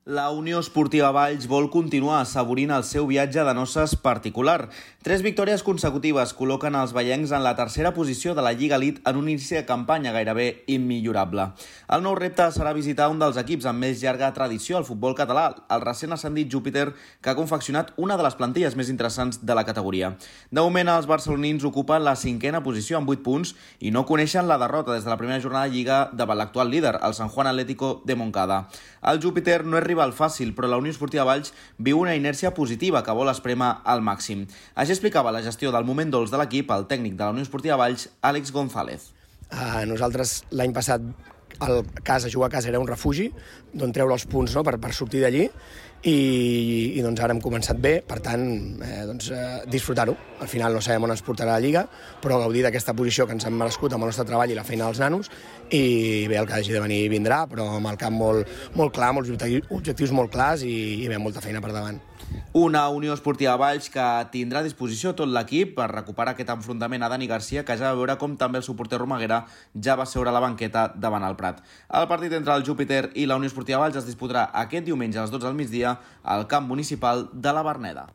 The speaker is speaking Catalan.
La Unió Esportiva Valls vol continuar assaborint el seu viatge de noces particular. 3 victòries consecutives col·loquen els vallencs en la tercera posició de la Lliga Elite en un inici de campanya gairebé immillorable. El nou repte serà visitar un dels equips amb més llarga tradició al futbol català, el recent ascendit Júpiter, que ha confeccionat una de les plantilles més interessants de la categoria. De moment, els barcelonins ocupen la 5a posició amb 8 punts i no coneixen la derrota des de la primera jornada de Lliga davant l'actual líder, el San Juan Atlético de Moncada. El Júpiter no és rival fàcil, però la Unió Esportiva Valls viu una inèrcia positiva que vol esprémer al màxim. Així explicava la gestió del moment dolç de l'equip el tècnic de la Unió Esportiva Valls, Àlex González. Nosaltres l'any passat jugar a casa era un refugi d'on treure els punts, no? per sortir d'allí i doncs ara hem començat bé, per tant disfrutar-ho. Al final no sabem on ens portarà la Lliga, però gaudir d'aquesta posició que ens hem merescut amb el nostre treball i la feina dels nanos, i bé, el que hagi de venir vindrà, però amb el camp molt clar, molts objectius molt clars i bé, molta feina per davant. Una Unió Esportiva Valls que tindrà a disposició tot l'equip per recuperar aquest enfrontament a Dani Garcia, que ja va veure com també el suporter Romaguera ja va seure a la banqueta davant el Prat. El partit entre el Júpiter i la Unió Esportiva Valls es disputarà aquest diumenge a les 12 del migdia al camp municipal de la Verneda.